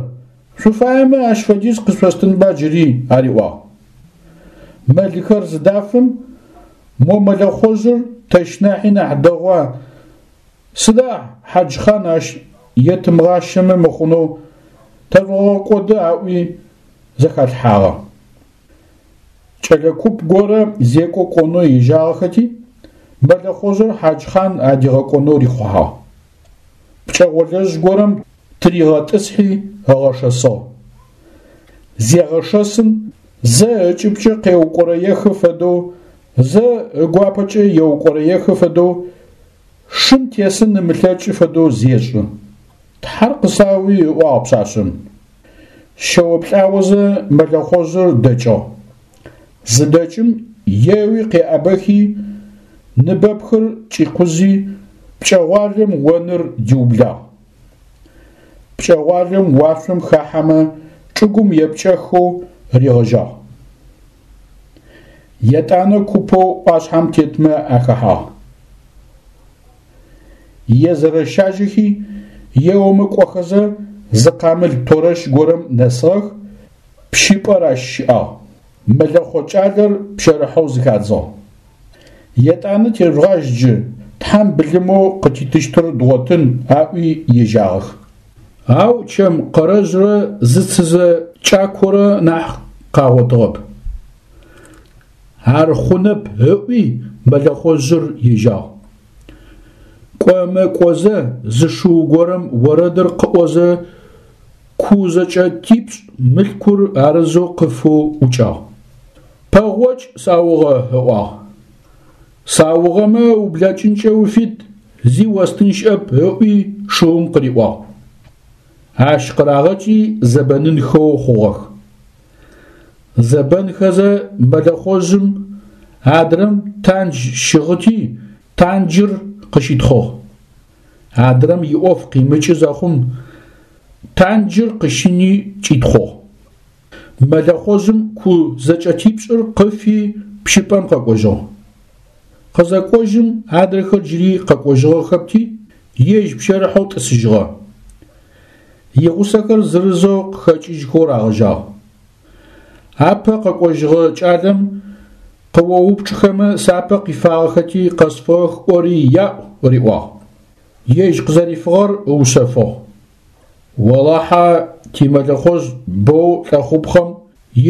шъуфаемэ ащ фэдиз къышъостынба джыри, ариӏуагъ. Мэлхэр зыдафым, мо мэлэхъожъыр тэщ нахьи нахь дэгъуа, Сыда Хьаджхъан ащ етымыгъащэмэ мыхъунэу тэжъугъэкӏоды аӏуи зэхалъхьагъэ. Кӏэлэ куп горэ зекӏо кӏонэу ежьагъэхэти, мэлэхъожъыр Хьаджхъан адигъэкӏонэу рихъухьагъ. Пкӏэгъолэжъ горэм тыригъэтӏысхьи ыгъэшэсыгъ. Зегъэшэсым, зэ ыкӏыбкӏэ къеукӏорэехы фэдэу, зэ ыгуапэкӏэ еукӏорэехы фэдэу Шым тесын ымылъэкӏы фэдэу зешӏы. Тхьэр къысауи, ыӏуагъ пшъашъэм. Щэо-плӏаозэ мэлэхъожъыр дэкӏыгъ. Зыдэкӏым, еуи къеӏэбэхи, ныбэпхыр кӏикъузи, пкӏэгъуалэм оныр диублагъ. Пкӏэгъуалэм уашъом хахьэмэ, чӏыгум епкӏэхэу ригъэжьагъ. Етӏанэ купэу ӏуашъхьэм тетмэ ахэхьагъ. Езэрэщажьэхи, еомэ кӏохэзэ, зы къамыл торэщ горэм нэсыгъэх, пщыпӏэр ащ щыӏагъ. Мэлэхъо кӏалэр пщэрыхьэу зыхадзыгъ. Етӏанэ тежъугъажь джы, Тхьэм былымэу къытитыщтыр дгъотын, аӏуи ежьагъэх. Ау чэм къэрэжърэ зы цызэ кӏакорэ нахь къагъотыгъэп. Ар хъунэп, ыӏуи мэлэхъожъыр ежьагъ. Кӏомэ кӏозэ зы шыу горэм орэдыр къыӏозэ ку зэкӏэтипшӏ мылъкур арызэу къыфэу ӏукӏагъ. Пэгъокӏ саугъэ, ыӏуагъ. Саугъэмэ ублэкӏынкӏэ уфит, зи остын щыӏэп, ыӏуи шыум къыриӏуагъ. Ащ къырагъэкӏи зэбэнынхэу хъугъэх. Зэбэнхэзэ мэлэхъожъым адрэм тандж щыгъыти, танджыр къыщитхъыгъ. Адрэм иӏоф къимыкӏы зэхъум, танджыр къыщини кӏитхъугъ. Мэлэхъожъым ку зэкӏэтипшӏыр къыфи пщыпӏэм къэкӏожьыгъ. Къызэкӏожьым адрэхэр джыри къэкӏожьыгъэхэпти, ежь пщэрыхьэу тӏысыжьыгъэ. Игъусэхэр зырызэу къыхэкӏыжьхэу рагъэжьагъ. Апэ къэкӏожьыгъэ кӏалэм къыоупчӏхэмэ сапэ къифагъэхэти къэсфыгъэх ӏори яӏу, риӏуагъ. Ежь къызэрифыгъэр ыушъэфыгъ. Олахьэ тимэлэхъожъ боу лӏэхъупхъэм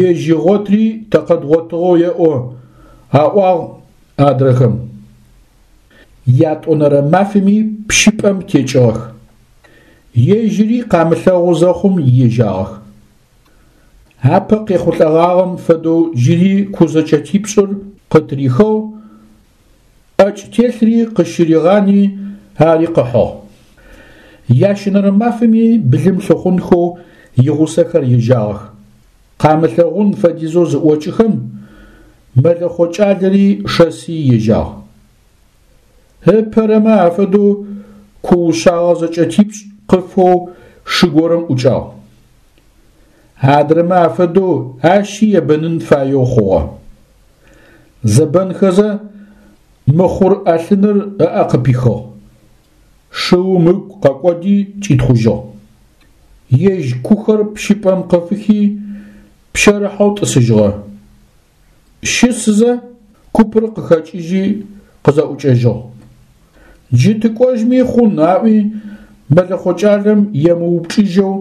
ежь игъотри тэ къэдгъотыгъэу еӏо, аӏуагъ адрэхэм. Ятӏонэрэ мафэми пщыпӏэм текӏыгъэх. Ежьыри къамылъэгъу зэхъум ежьагъэх. Апэ къехъулӏэгъагъэм фэдэу джыри ку зэкӏэтипшӏыр къытырихыгъ, ӏэкӏ телъри къыщыригъани ари къыхьыгъ. Ящэнэрэ мафэми былым лъыхъунхэу игъусэхэр ежьагъэх. Къамылъэгъун фэдизэу зыӏокӏыхэм, мэлэхъо кӏалэри шэси ежьагъ. Ыпэрэмэ афэдэу ку ушъагъэ зэкӏэтипшӏ къыфэу шы горэм ӏукӏагъ. Адрэмэ афэдэу ащи ебэнын фаеу хъугъэ. Зэбэнхэзэ, мыхъур ӏэлъыныр ыӏэ къыпихыгъ. Шыум ыгу къэкӏоди кӏитхъужьыгъ. Ежь кухэр пщыпӏэм къыфыхи, пщэрыхьэу тӏысыжьыгъэ. Щысызэ, купыр къыхэкӏыжьи къызэӏукӏэжьыгъ. Джы тыкӏожьми хъун аӏуи, мэлэхъо кӏалэм емыупчӏыжьэу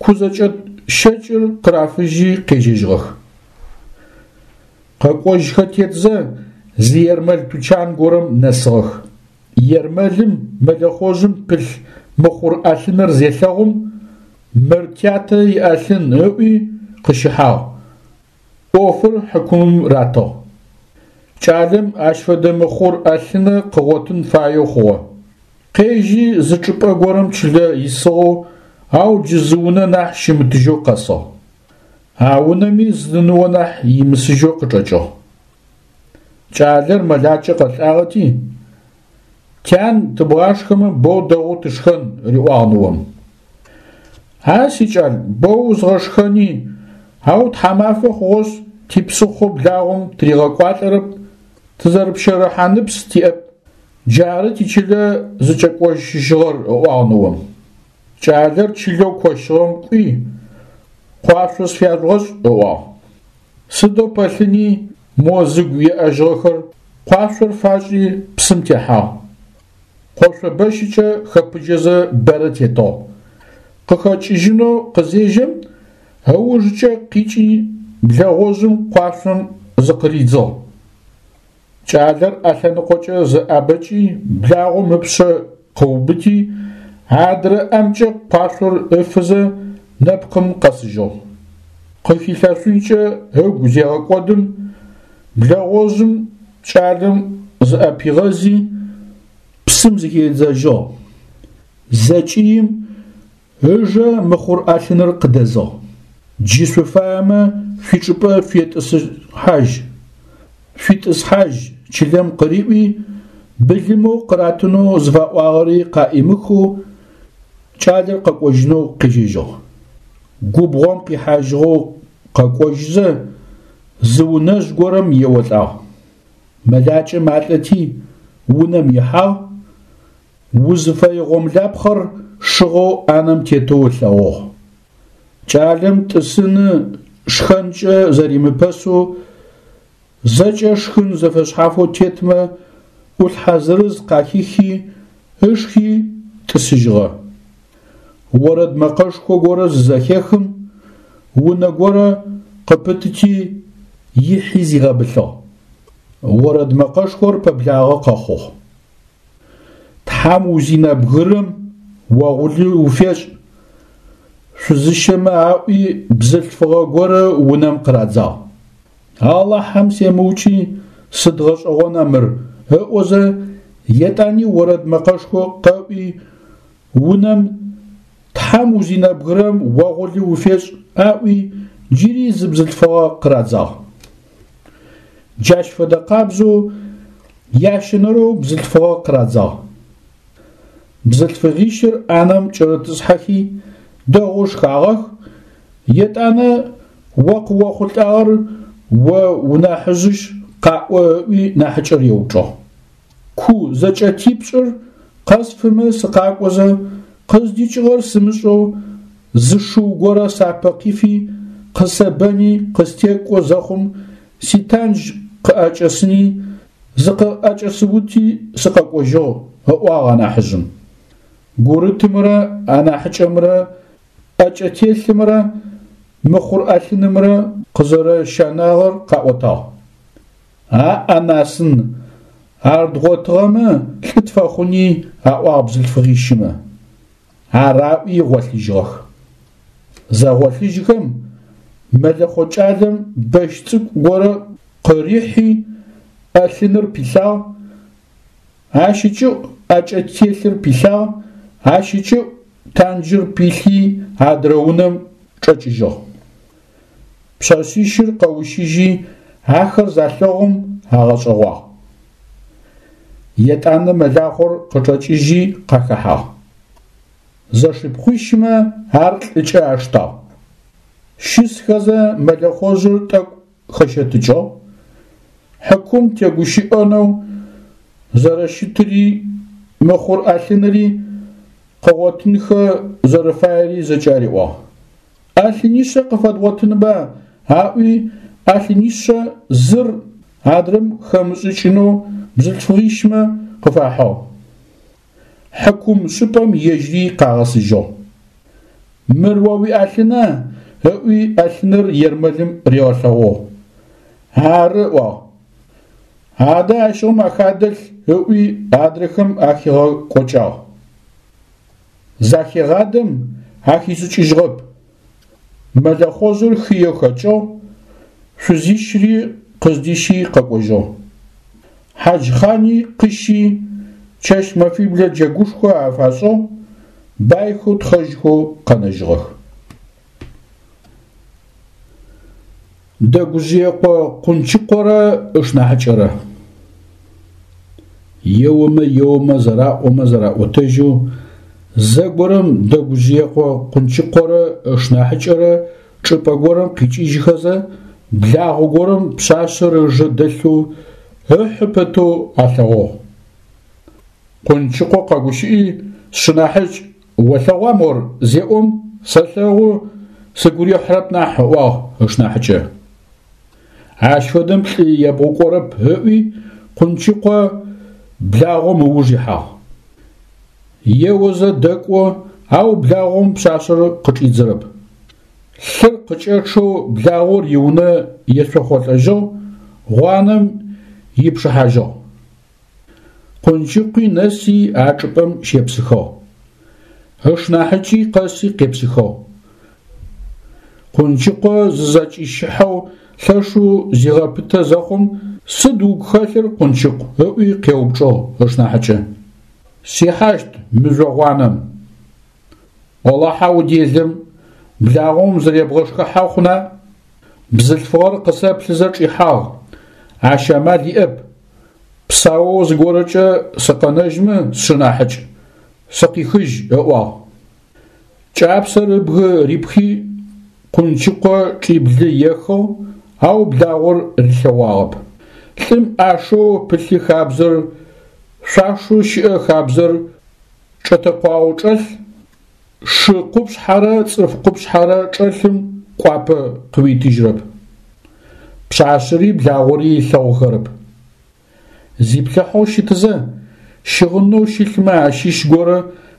кузэкӏэт щэкӏыр къырафыжьи къежьэжьыгъэх. Къэкӏожьхэ тетзэ, зы ермэл тучан горэм нэсыгъэх. Ермэлым мэлэхъожъым пылъ мыхъур ӏэлъыныр зелъэгъум, мыр тятэ иӏэлъын ыӏуи къыщыхьагъ. ӏофыр хьыкумым ратыгъ. Кӏалэм ащ фэдэ мыхъур ӏэлъынэ къыгъотын фаеу хъугъэ. Къежьи зы чӏыпӏэ горэм чылэ исыгъэу, ау джы зы унэ нахь щымытыжьэу къэсыгъ. А унэми зы ныо нахь имысыжьэу къычӏэкӏыгъ. Кӏалэр мэлакӏэ къэлӏагъэти, Тян, тыбгъашхэмэ боу дэгъоу тышхэн, риӏуагъ ныом. А сикӏал, боу узгъэшхэни, ау тхьамафэ хъугъэшъ, типсыхъо благъом тыригъэкӏуалӏэрэп, тызэрыпщэрыхьаныпс тиӏэп. Джары тичылэ зыкӏэкӏожьыгъэр, ыӏуагъ ныом. Кӏалэр чылэу кощыгъэм кӏуи, къуашъо сфяжъугъэшӏ, ыӏуагъ. Сыдэу пэлъыни мо зыгу еӏэжьыгъэхэр къуашъор фашӏи псым техьагъ. Къошъо бэщыкӏэ хэпыджэзэ бэрэ тетыгъ. Къыхэкӏыжьынэу къызежьэм, ыужыкӏэ къикӏи блэгъожъым къуашъом зыкъыридзыгъ. Кӏалэр ӏэлъэныкъокӏэ зэӏабэкӏи благъом ыпшъэ къыубыти, адрэ ӏэмкӏэ къуашъор ыфызэ нэпкъым къэсыжьыгъ. Къыхилъэшъункӏэ ыгу зегъэкӏодым, блэгъожъым кӏалэм зыӏэпигъэзи, псым зыхидзэжьыгъ. Зэкӏыим ыжэ мыхъур ӏэлъыныр къыдэзыгъ. Джы шъуфаемэ шъуичӏыпӏэ шъуетӏысхьажь, шъуитӏысхьажь чылэм къыриӏуи, былымэу къыратынэу зыфаӏуагъэри къаӏимыхэу кӏалэр къэкӏожьынэу къежьэжьыгъ. Губгъом къихьажьыгъэу къэкӏожьызэ, зы унэжъ горэм еолӏагъ. Мэлакӏэ малӏэти, унэм ихьагъ, узыфэе гъомлапхъэр шыгъэу ӏанэм тетэу ылъэгъугъ. Кӏалэм тӏысыны шхэнкӏэ зэримыпэсэу зэкӏэ шхын зэфэшъхьафэу тетмэ ӏулъхьэ зырыз къахихи, ышхи тӏысыжьыгъэ. Орэд мэкъэшхо горэ зызэхехым, унэ горэ къыпытыти, ихьи зигъэбылъыгъ. Орэд мэкъэшхор пэблагъэ къэхъугъ. Тхьам узинэбгырым огъулы уфешӏ, шъузыщэмэ аӏуи бзылъфыгъэ горэ унэм къырадзагъ. Алахьэм семыукӏи сыд гъэшӏэгъона мыр ыӏозэ, етӏани орэд мэкъэшхо къэӏуи, унэм Тхьам узинэбгырэм огъулы уфешӏ аӏуи джыри зы бзылъфыгъэ къырадзагъ. Джащ фэдэ къабзэу ящэнэрэу бзылъфыгъэ къырадзагъ. Бзылъфыгъищыр ӏанэм кӏэрытӏысхьэхи, дэгъоу шхагъэх, етӏанэ о къыохъулӏагъэр о унахьыжъышъ къаӏо ыӏуи нахьыкӏэр еупчӏыгъ. Ку зэкӏэтипшӏыр къэсфымэ сыкъакӏозэ, къыздикӏыгъэр сымышӏэу зы шыу горэ сапэ къифи, къысэбэни къыстекӏо зэхъум, ситандж къыӏэкӏэсыни, зыкъыӏэкӏэсыути сыкъэкӏожьыгъ, ыӏуагъ анахьыжъым. Гурытымрэ анахьыкӏэмрэ ӏэкӏэтелъымрэ мыхъур ӏэлъынымрэ къызэрэщанагъэр къаӏотагъ. Аӏ-анасын, ар дгъотыгъэмэ лӏы тфэхъуни, аӏуагъ бзылъфыгъищымэ. Ар аӏуи гъолъыжьыгъэх. Зэгъолъыжьхэм, мэлэхъо кӏалэм бэщ цӏыкӏу горэ къырихьи, ӏэлъыныр пилъагъ, ащ ыкӏыӏу ӏэкӏэтелъыр пилъагъ, ащ ыкӏыӏу танджыр пилъи адрэ унэм чӏэкӏыжьыгъ. Пшъэшъищыр къэущыжьи, ахэр залъэгъум агъэшӏэгъуагъ. Етӏанэ мэлахъор къычӏэкӏыжьи къахэхьагъ. Зэшыпхъуищмэ ар лӏыкӏэ аштагъ. Щысхэзэ мэлэхъожъыр тӏэкӏу хэщэтыкӏыгъ, хьакум тегущыӏэнэу зэрэщытыри, мыхъур ӏэлъыныри къыгъотынхэ зэрэфаери зэкӏэ ариӏуагъ. ӏэлъынишъэ къыфэдгъотынба аӏуи, ӏэлъынишъэ зыр адрэм хэмышӏыкӏынэу бзылъфыгъищмэ къыфахьыгъ. Хьакум шӏыпӏэм ежьри къагъэсыжьыгъ. Мыр о уиӏэлъына? ыӏуи ӏэлъыныр ермэлым ригъэлъэгъугъ. Ары, ыӏуагъ. Адэ ащыгъум ахадэлъ ыӏуи адрэхэм ахигъэкӏокӏагъ. Захегъадэм ахишӏыкӏыжьыгъэп. Мэлэхъожъыр хыеу хэкӏыгъ, шъузищри къыздищи къэкӏожьыгъ. Хьаджхъани къыщи, чэщ-мэфиблэ джэгушхо афашӏыгъ, байхэу тхъэжьхэу къэнэжьыгъэх. Дэгужъыекъо Къунчыкъорэ ышнахьыкӏэрэ. Еомэ еомэ зэраӏомэ зэраӏотэжьэу, зэгорэм Дэгужъыекъо Къунчыкъорэ ышнахьыкӏэрэ чӏыпӏэ горэм къикӏыжьхэзэ, благъо горэм пшъашъэр ыжэ дэлъэу ыхьы пэтэу алъэгъугъ. Къунчыкъо къэгущыӏи, сшынахьыкӏ, олъэгъуа мор? зеӏом, сэлъэгъу, сыгу рихьырэп нахь, ыӏуагъ ышнахьыкӏэ. Ащ фэдэм лӏы ебгъукӏорэп, ыӏуи, Къунчыкъо благъом ыуж ихьагъ. Еозэ дэкӏо, ау благъом пшъашъэр къычӏидзэрэп. Лъыр къыкӏэчъэу благъор иунэ ецохъолӏэжьыгъ, гъуанэм ипшыхьажьыгъ. Къунчыкъуи нэси а чӏыпӏэм щепсыхыгъ. Ышнахьыкӏи къэси къепсыхыгъ. Къунчыкъо зызэкӏищыхьэу лъэшэу зигъэпытэ зэхъум, сыд угу хэлъыр, Къунчыкъу? ыӏуи къеупчӏыгъ ышнахьыкӏэ. Сихьащт мыжъо гъуанэм. Олахьэ уделэм, благъом зыребгъэшхыхьэ хъуна? Бзылъфыгъэр къысэплъызэ чӏихьагъ, ащ амал иӏэп. Псаоу зыгорэкӏэ сыкъэнэжьмэ, сшынахьыкӏ, сыкъихыжь, ыӏуагъ. Кӏапсэр ыбгы рипхи, Къунчыкъо чӏиблы ехыгъ, ау благъор рилъэгъуагъэп. Лӏым ӏашэу пылъы хабзэр, шъуашэу щыӏэ хабзэр чӏэтэкъуагъэу чӏэлъ, шы къупшъхьэрэ цӏыф къупшъхьэрэ чӏэлъым кӏуапӏэ къыуитыжьырэп. Пшъашъэри благъори ылъэгъухэрэп. Зиплъыхьэу щытызэ, щыгъынэу щылъмэ ащыщ горэ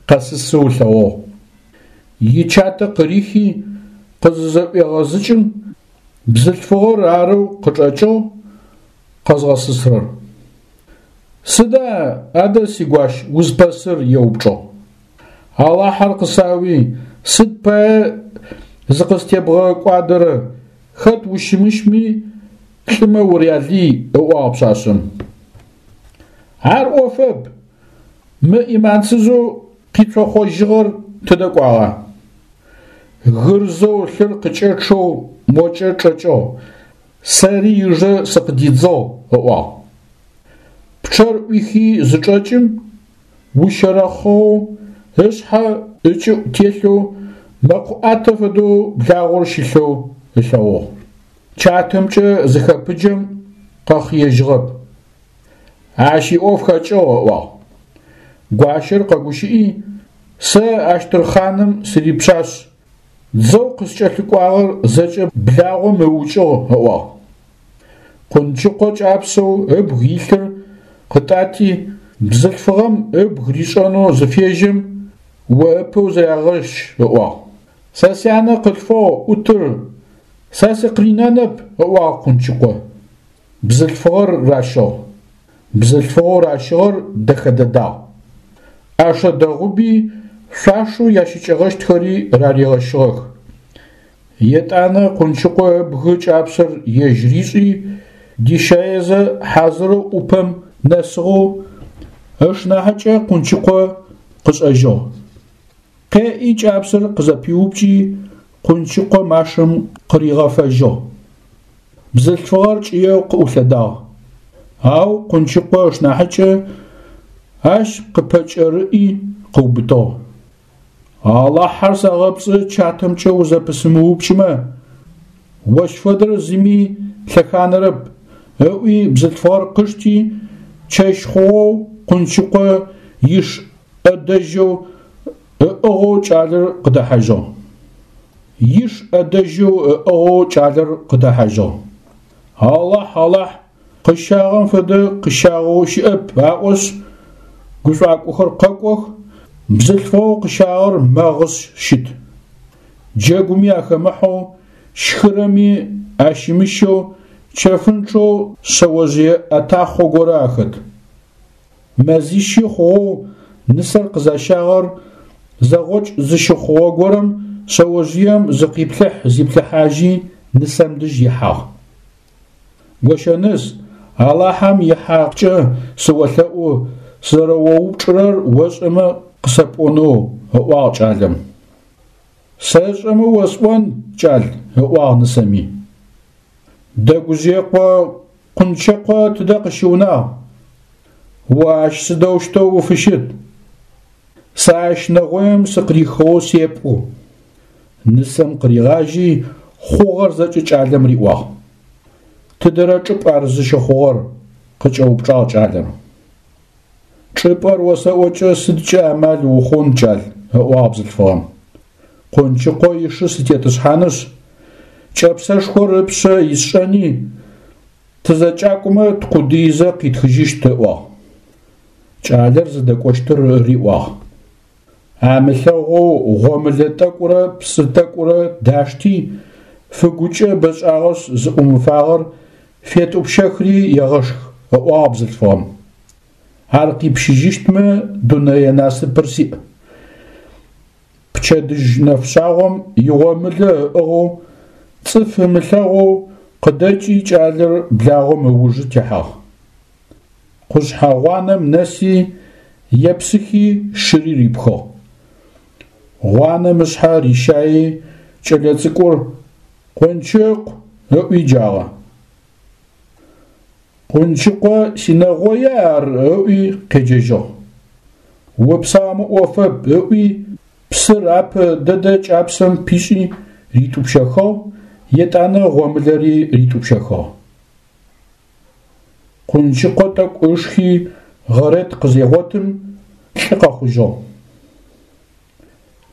къэсысэу ылъэгъугъ. Ичатэ къырихи, къызызэӏуегъэзыкӏым, бзылъфыгъэр арэу къычӏэкӏыгъ къэзгъэсысырэр. Сыда адэ, сигуащ, узпэсыр? еупчӏыгъ. Алахьэр къысауи, сыд пае зыкъыстебгъэкӏуадэрэ, хэт ущымыщми лӏымэ урялый, ыӏуагъ пшъашъэм. Ар ӏофэп, мы ӏиманцызэу къицохъожьыгъэр тыдэ кӏуагъа? Гырзэу лъыр къыкӏэчъэу мокӏэ чӏэкӏыгъ, сэри ыжэ сыкъыдидзыгъ, ыӏуагъ. Пчъэр ӏуихи зычӏэкӏым, ущэрэхъыгъэу, ышъхьэ ыкӏыӏу телъэу, мэкъу ӏатэ фэдэу благъор щылъэу ылъэгъугъ. Чатэмкӏэ зыхэпыджэм къэхъыежьыгъэп. Ащ иӏоф хэкӏыгъ, ыӏуагъ. Гуащэр къэгущыӏи, Сэ Ащтырхъаным сырипшъашъ, дзэу къыскӏэлъыкӏуагъэр зэкӏэ благъом ыукӏыгъ, ыӏуагъ. Къунчыкъо кӏапсэу ыбг илъыр къытӏати, бзылъфыгъэм ыбг ришӏэнэу зыфежьэм, о ыпэу зырягъэщ, ыӏуагъ. Сэ сянэ къылъфыгъ ӏутыр, сэ сыкъринэнэп, ыӏуагъ Къунчыкъо. Бзылъфыгъэр ращыгъ. Бзылъфыгъэу ращыгъэр дэхэ дэдагъ. ӏэшэ дэгъуби, шъуашэу ящыкӏэгъэщтхэри раригъэщыгъэх. Етӏанэ Къунчыкъо ыбгы кӏапсэр ежь ришӏи, дищаезэ хьазырэу ӏупэм нэсыгъэу ышнахьыкӏэ Къунчыкъо къышӏэжьыгъ. Къеӏи кӏапсэр къызэпиупкӏи, Къунчыкъо машэм къыригъэфэжьыгъ. Бзылъфыгъэр кӏыеу къыӏулъэдагъ. Ау Къунчыкъо ышнахьыкӏэ ащ къыпэкӏэрыӏи къыубытыгъ. Алахьэр сэгъэпцӏы чатэмкӏэ узэпысымыупкӏымэ, ощ фэдэр зыми лъэханэрэп, ыӏуи бзылъфыгъэр къышти, чэщ хъугъэу Къунчыкъо иш ӏэдэжьэу ыӏыгъэу кӏалэр къыдэхьажьыгъ. Иш ӏэдэжьэу ыӏыгъэу кӏалэр къыдэхьажьыгъ. Алахь, Алахь, къыщагъэм фэдэ къыщагъэу щыӏэп аӏошъ, гушӏуакӏохэр къэкӏох, бзылъфыгъэу къыщагъэр мэгъышъ щыт. Джэгуми ахэмыхьэу, щхырэми ащымыщэу, чэфынчъэу шъэожъые ӏэтахъо горэ ахэт. Мэзищи хъугъэу нысэр къызащагъэр зэгъокӏ зыщыхъугъэ горэм шъэожъыем зыкъиплъыхь-зиплъыхьажьи нысэм дэжь ихьагъ. Гощэныс, Алахьэм ихьакъкӏэ сыолъэӏу, сызэрэоупчӏырэр ошӏэмэ къысэпӏонэу, ыӏуагъ кӏалэм. Сэшӏэмэ осӏон, кӏал, ыӏуагъ нысэми. Дэгужъыекъо Къунчыкъо тыдэ къыщыунагъ? О ащ сыдэущтэу уфыщыт? Сэ ащ нэгъоим сыкъырихыгъэу сепӏу. Нысэм къыригъажьи, хъугъэр зэкӏэ кӏалэм риӏуагъ. Тыдэрэ чӏыпӏ ар зыщыхъугъэр? къыкӏэупчӏагъ кӏалэр. Чӏыпӏэр осэӏокӏэ сыдкӏэ амал ухъун, кӏал, ыӏуагъ бзылъфыгъэм. Къунчыкъо ишы сытетӏысхьанышъ, кӏэпсэшхор ыпшъэ исшӏэни, тызэкӏакӏомэ ткъудыизэ къитхыжьыщт, ыӏуагъ. Кӏалэр зыдэкӏощтыр риӏуагъ. Амылъэгъоу гъомылэ тӏэкӏурэ псы тӏэкӏурэ дашти, фыгукӏэ бэшӏагъэшъ зыӏумыфагъэр фетӏупщэхри егъэшх, ыӏуагъ бзылъфыгъэм. Ар къипщыжьыщтмэ, дунэе насыпыр сиӏ. Пчэдыжь нэфшъагъом игъомылэ ыӏыгъэу, цӏыф ымылъэгъоу къыдэкӏи кӏалэр благъом ыужы техьагъ. Къушъхьэ гъуанэм нэси, епсыхи шыри рипхыгъ. Гъуанэм ышъхьэ рищаи кӏэлэцӏыкӏур Къунчыкъу ыӏуи джагъэ. Къунчыкъо синэгъоя ар ыӏуи къеджэжьыгъ. Упсаумэ ӏофэп ыӏуи псыр апэ дэдэ кӏапсэм пишӏи ритӏупщэхыгъ, етӏанэ гъомылэри ритӏупщэхыгъ. Къунчыкъо тӏэкӏу ышхи гъэрет къызегъотым, лӏы къэхъужьыгъ.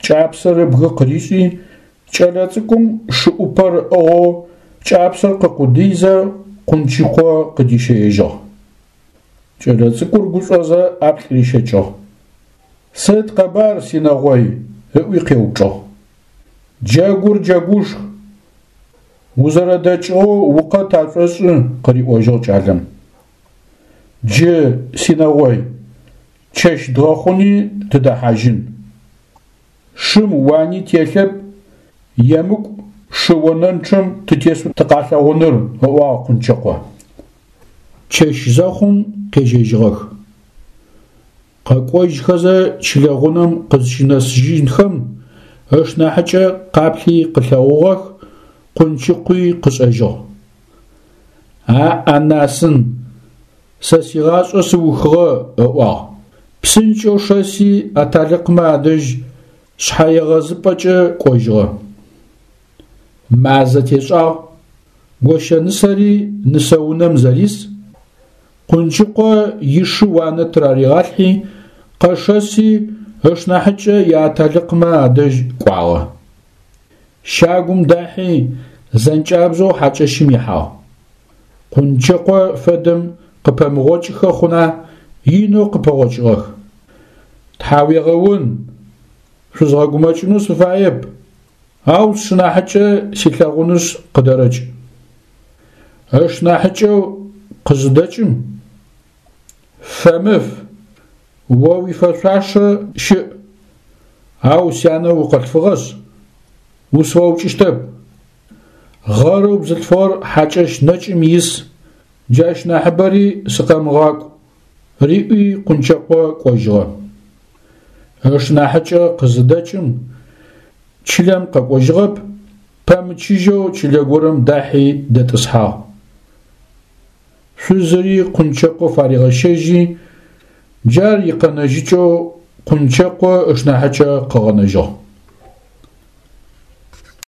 Кӏапсэр ыбгы къыришӏи, Кӏэлэцӏыкӏум шы ӏупэр ыӏыгъэу кӏапсэр къыкъудыйзэ Къунчыкъо къыдищэежьыгъ. Кӏэлэцӏыкӏур гушӏозэ ӏаплӏ рищэкӏыгъ. Сыд къэбар, синэгъой? ыӏуи къеупчӏыгъ. Джэгур джэгушх, узэрэдэкӏыгъэу укъэт ашӏошӏы, къыриӏожьыгъ кӏалэм. Джы, синэгъой, чэщ дгъэхъуни тыдэхьажьын. Шым уани телъэп, емыкӏу шы онэнчъэм тытесэу тыкъалъэгъуныр, ыӏуагъ Къунчыкъо. Чэщ зэхъум къежьэжьыгъэх. Къэкӏожьхэзэ чылэ гъунэм къызщынэсыжьынхэм, ышнахьыкӏэ къаплъи къылъэгъугъэх, Къунчыкъуи къышӏэжьыгъ. Аӏ-анасын, сэ сигъашӏэ сыухыгъэ, ыӏуагъ. Псынкӏэу шэси аталыкъмэ адэжь шъхьэегъэзыпӏэкӏэ кӏожьыгъэ. Мазэ тешӏагъ, гощэнысэри нысэунэм зэрис, Къунчыкъо ишы уанэ тыраригъалъхьи, къэшэси, ышнахьыкӏэ иаталыкъмэ адэжь кӏуагъэ. Щагум дахьи, зэнкӏабзэу хьакӏэщым ихьагъ. Къунчыкъо фэдэм къыпэмыгъокӏыхэ хъуна, инэу къыпэгъокӏыгъэх. Тхьауегъэун, шъузгъэгумэкӏынэу сыфаеп, ау сшынахьыкӏэ силъэгъунышъ къыдэрэкӏ. Ышнахьыкӏэу къызыдэкӏым, Фэмыф, о уифэшъуашэ щыӏ, ау сянэ укъылъфыгъэшъ, усфэукӏыщтэп. Гъэрэу бзылъфыгъэр хьакӏэщ нэкӏым ис, джащ нахьыбэри сыкъэмыгъакӏу, риӏуи Къунчыкъо кӏожьыгъэ. Ышнахьыкӏэ къызыдэкӏым, чылэм къэкӏожьыгъэп, пэмычыжьэу чылэ горэм дахьи дэтӏысхьагъ. Шъузыри Къунчыкъо фаригъэщэжьи, джар икъэнэжьыкӏэу Къунчыкъо ышнахьыкӏэ къыгъэнэжьыгъ.